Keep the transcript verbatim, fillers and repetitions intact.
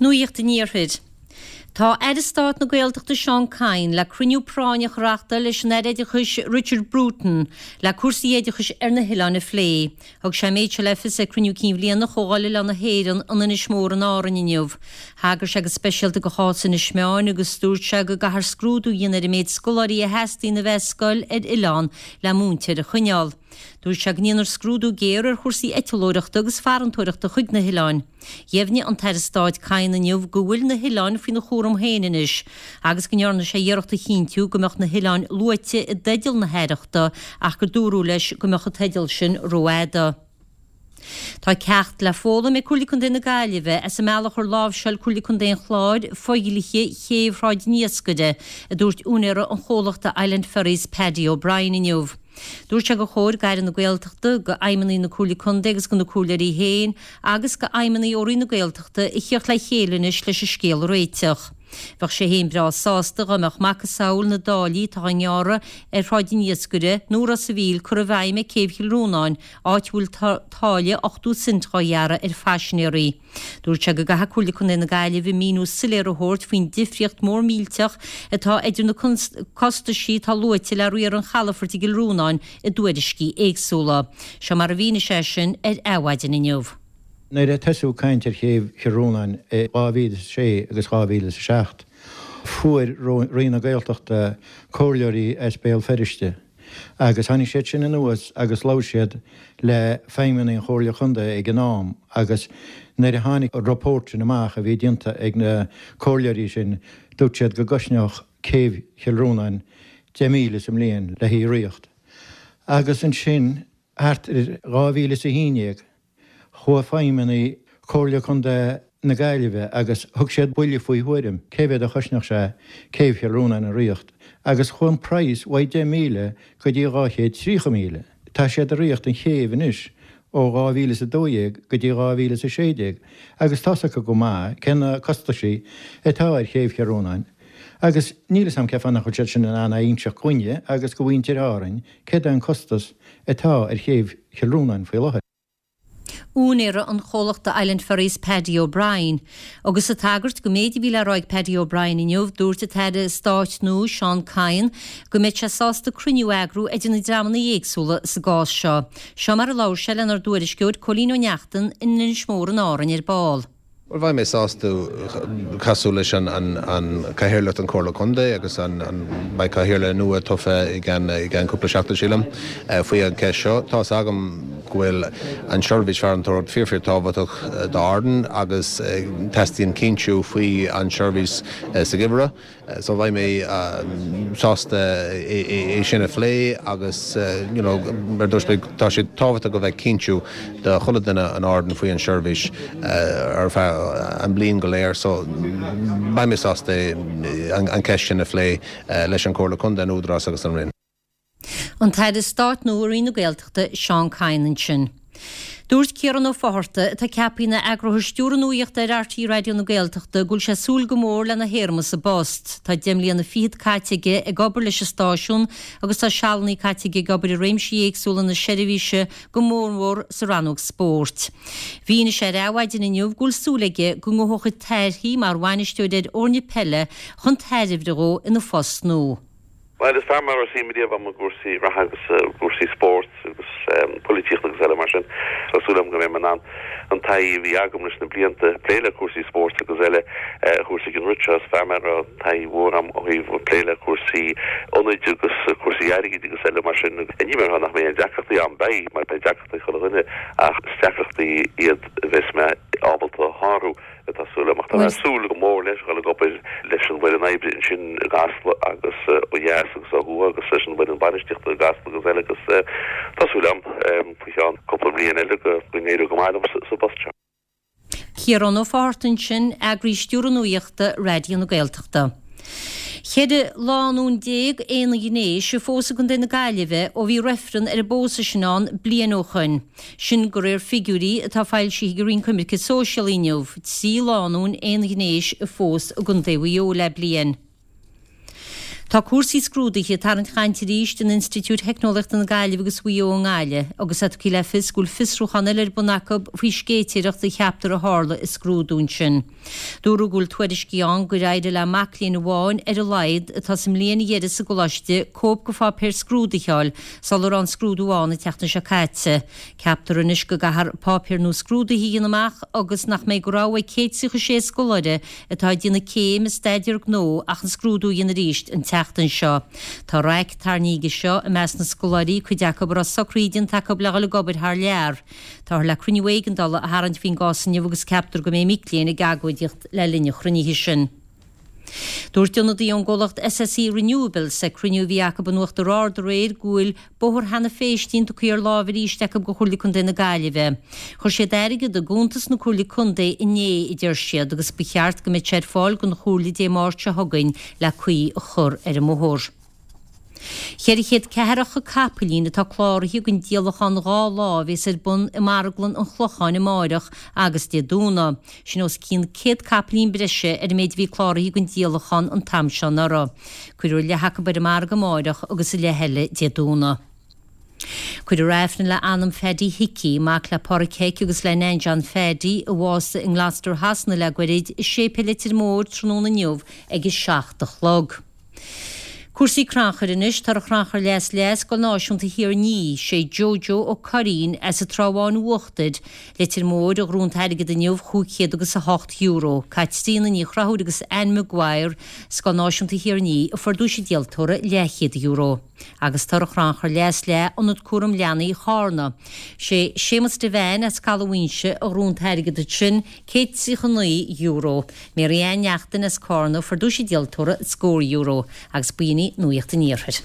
Nuacht an Iarthair. Tá Aire Stáit na Gaeltachta Seán Kyne le cruinniú práinneach a reáchtáil leis an Aire Oideachais Richard Bruton le cúrsaí oideachais ar na hoileáin a phlé. Thug sé an méid seo le fios ag cruinniú cinn bhliana Chomhdháil Oileán na hÉireann in Inis Mór in Árainn inniu. Thagair sé go speisialta do chás Inis Meáin agus dúirt sé go gcaithfear scrúdú a dhéanamh ar an méid scoláirí a theastaíonn a bheith scoil ar oileán le múinteoir a choinneáil. Dúirt sé go ndéanfar scrúdú géar ar chúrsaí eitleoireachta agus farantóireachta chuig na hoileáin. Dheimhnigh an tAire Stáit Kyne inniu go bhfuil na hoileáin faoina chúram féin anois, agus go ndearna sé iarracht a chinntiú go mbeadh na hoileáin luaite i dteideal na haireachta ach gur dúradh leis go mbeadh an teideal sin rófhada. Tá ceacht le foghlaim ag Comhairle Contae na Gaillimhe as an mbealach ar láimhseáil Comhairle Contae an Chláir fodhlíthe chéibh Shráid an Iascaire, a dúirt úinéara an chomhlachta Island Ferries Paddy O'Brien inniu. Dúirt sé gur chóir d'Aire na Gaeltachta, d'fheidhmeannaigh na Comhairle Contae agus do na comhairleoirí féin agus d'fheidhmeannaigh ó Roinn na Gaeltachta a theacht le chéile anois leis an scéal a réiteach. Bheadh sé féin breá sásta dá mbeadh macasamhail na dtáillí atá á ngearradh ar Shráid an Iascaire nó Ros a' Mhíl curtha i bhfeidhm ag Céibh Chill Rónáin, áit a bhfuil táille ochtó cent dhá ghearradh ar phaisinéirí. Dúirt sé go gcaithfidh Comhairle Contae na Gaillimhe míniú soiléir a thabhairt faoin difríocht mhór millteach atá idir na costaisí atá luaite le riar an chalafoirt i gCill Rónáin i dtuairiscí éagsúla. Seo mar a mhínigh sé sin ar Adhmhaidin inniu. Nuair a tosaíodh caint ar chéibh Chill Rónáin i dhá mhíle is a sé agus dhá mhíle is a seacht, fuair Roinn na Gaeltachta comhairleoirí as Béal Feirste agus tháinig siad sin anuas agus labhair siad le feidhmeannaigh an Chomhairle Chontae ag an am agus nuair a tháinig an report sin amach a bhí déanta ag na comhairleoirí sin, dúirt siad go gcosnódh céibh Chill Rónáin deich míle sa mbliain le hí a ríocht. Agus ansin thart ar dhá mhíle is a haon déag, Chuaigh feidhmeannaigh Chomhairle Contae na Gaillimhe agus thug siad buille faoi thuairim cé mhéad a chosnódh sé Céibh Chill Rónáin a ríocht agus chuaigh an praghas uaidh deich míle go dtí dhá chéad tríocha míle. Tá siad ag ríocht an chéibh anois ó dhá mhíle is a dó dhéag go dtí dhá mhíle is a sé déag agus tá's acu go maith cé na costaisí atá ar Chéibh Chill Rónáin agus níl 'fhios a'm cé fáth nach bhfuil siad sin in ann a inseacht dhúinne agus go mhuintir Árainn céard é an costas atá ar Chéibh Chill Rónáin faoi láthair. Úinéara an chomhlachta Island Ferries Paddy O'Brien. Agus ag tagairt don méid a bhí le rá ag Paddy O'Brien inniu, dúirt an tAire Stáit nua Seán Kyne go mbeidh sé sásta cruinniú a eagrú idir na dreamanna éagsúla sa gcás seo. Seo mar a labhair sé lenár dtuairisceoir Cóilín Ó Neachtain in Inis Mór in Árainn ar ball. Bhuel, bheidh mé sásta casadh leis an Cathaoirleach den Chomhairle Contae agus an beidh cathaoirleach nua tofa i gceann cúpla seachtain, sílim, faoi an cheist seo. Tá's agam go bhfuil an tseirbhís farantóireacht fíor fíor tábhachtach d'Árainn agus teastaíonn cinntiú faoi an tseirbhís sa gheimhreadh. So bheidh mé sásta é sin a phlé agus you know mar dúirt mé tá sé tábhachtach go bheidh cinntiú do chuile duine in Árainn faoi an seirbhís ar feadh an bliain go léir. So beidh mé sásta an ceist sin a phlé leis an Comhairle Contae, an Údarás agus an Roinn. An tAire Stáit nua i Roinn na Gaeltachta, Seán Kyne ansin. Dúirt Ciarán Ó Fátharta, atá ceaptha ina eagarthóir stiúrtha nuachta ar RTÉ Raidió na Gaeltachta, go bhfuil sé ag súil go mór lena théarma sa bpost. Tá deich mbliana fichead caite aige ag obair leis an stáisiún agus tá sealanna caite aige ag obair i réimsí éagsúla na seirbhíse, go mórmhór sa rannóg spóirt. Mhínigh sé ar Adhmhaidin inniu go bhfuil súil aige go ngabhfaidh a chuid taithí mar bhainisteoir ar fhoirne peile chun tairbhe dhó ina phost nua. Bhuel, is fear maith a raibh suim riamh agam i gcúrsaí reatha agus i gcúrsaí spóirt agus polaitíochta agus eile mar sin. Tá súil agam go mbeidh mé in ann an taithí a bhí agam leis na blianta ag plé le cúrsaí spóirt agus eile a thabhairt chuig an rud seo. Is fear mé a raibh taithí mhór agam ó thaobh plé le cúrsaí ionaid agus cúrsaí airgid agus eile mar sin. Ní mar nach mbeidh aon deacrachtaí ann, beidh, mar beidh deacrachtaí ag chuile dhuine ach is deacrachtaí iad a bheas mé ábalta a shárú. Tá súil agam, ach tá mé ag súil go mór leis dhul ag obair leis an bhfoireann oibre ansin i gCasla agus ó dheas agus ó thuaidh agus leis an bhfoireann bainistíochta i gCasla agus eile agus tá súil agam faoi cheann cúpla bliain eile go n-éireoidh go maith liom sa bpost seo. Ciarán Ó Fátharta ansin, Eagraí Stiúrtha Nuachta Raidió na Gaeltachta. Ceithre lánúin déag aonghnéis a phós i gContae na Gaillimhe ó bhí reifreann ar an bpósadh sin ann bliain ó shoin. Sin de réir figiúirí atá foilsithe ag an Roinn Coimirce Sóisialaí inniu, trí lánúin aonghnéis a phós i gContae Mhaigh Eo le bliain. Tá cúrsaí scrúduithe ag tarraingt cainte arís in Institiúid Theicneolaíochta na Gaillimhe agus Mhaigh Eo i nGaillimh agus é tugtha le fios go bhfuil fiosrúchán eile ar bun acu faoi scéitéireacht a cheaptar a tharla i scrúdú ansin. Dúradh go bhfuil tuairiscí ann gur éirigh le mac léinn amháin ar a laghad atá sa mbliain dheiridh sa gcoláiste cóip de pháipéar scrúdaithe a fháil sula raibh an scrúdú ann an tseachtain seo caite. Ceaptar anois go gcaithfear páipéir nua scrúdaithe a dhéanamh amach agus nach mbeidh de rogha ag céad tríocha sé scoláire atá ag déanamh céim i staidéar gnó ach an scrúdú a dhéanamh arís an tseachtain seo. Tá raic tarraingthe aige seo i measc na scoláirí, cuid acu a raibh socruithe déanta acu le dhul ag obair thar lear. Táthar le cruinniú éigeandála a tharraingt faoin gcás inniu agus ceaptar go mbeidh mic léinn ag agóidíocht le linn an chruinnithe sin. Dúirt ionadaí ón gcomhlacht SSE Renewables ag cruinniú a bhí acu in Uachtar Ard aréir go bhfuil bóthar Hannah Phéistín tugtha ar láimh arís acu do Chomhairle Contae na Gaillimhe. Chuir siad airgead i gcuntas na Comhairle Contae inné, a deir siad, agus ba cheart go mbeadh sé ar fáil don Chomhairle Dé Máirt seo chugainn le caoi a chur ar an mbóthar. Ceithre chéad ceathracha capaillín atá cláraithe don díolachán dhá lá a bheas ar bun i Marglann an Chlocháin amáireach agus Dé Domhnaigh. Sin os cionn céad capaillín breise ar an méid a bhí cláraithe don díolachán an t-am seo anuraidh. Cuirfear leath acu ar an margadh amáireach agus a leath eile Dé Domhnaigh. Cuirfear Aifreann le anam Phaddy Hickey, mac le Páraic Heic agus le Nan John Phaddy, a bhásaigh i nGloucester Shasana le goirid, i Séipéal Leitir Móir tráthnóna inniu ag a seacht a chlog. Cúrsaí crannchuir anois, Toradh Chrannchur Leath is Leath, Scoil Náisiúnta Thír an Fhia, sé Jojo Ó Curraoin as an Trá Bháin Uachtair, Leitir Móir, a ghnóthaigh an t-airgead inniu, chúig chéad agus a hocht euro. Caitríona Ní Chonchúir agus Anne Maguire, Scoil Náisiúnta Thír an Fhia, a fuair duais an díoltóra, leathchéad euro. Agus Toradh Chrannchur Leath is Leath, Ionad Cúram Leanaí Chárna, sé Séamus Devane as Caladh Mhaínse a ghnóthaigh an t-airgead ansin, céad tríocha naoi euro. Mary Ann Neachtain as Cárna a fuair duais an díoltóra, scór euro. Agus b'in í Nuacht an Iarthair.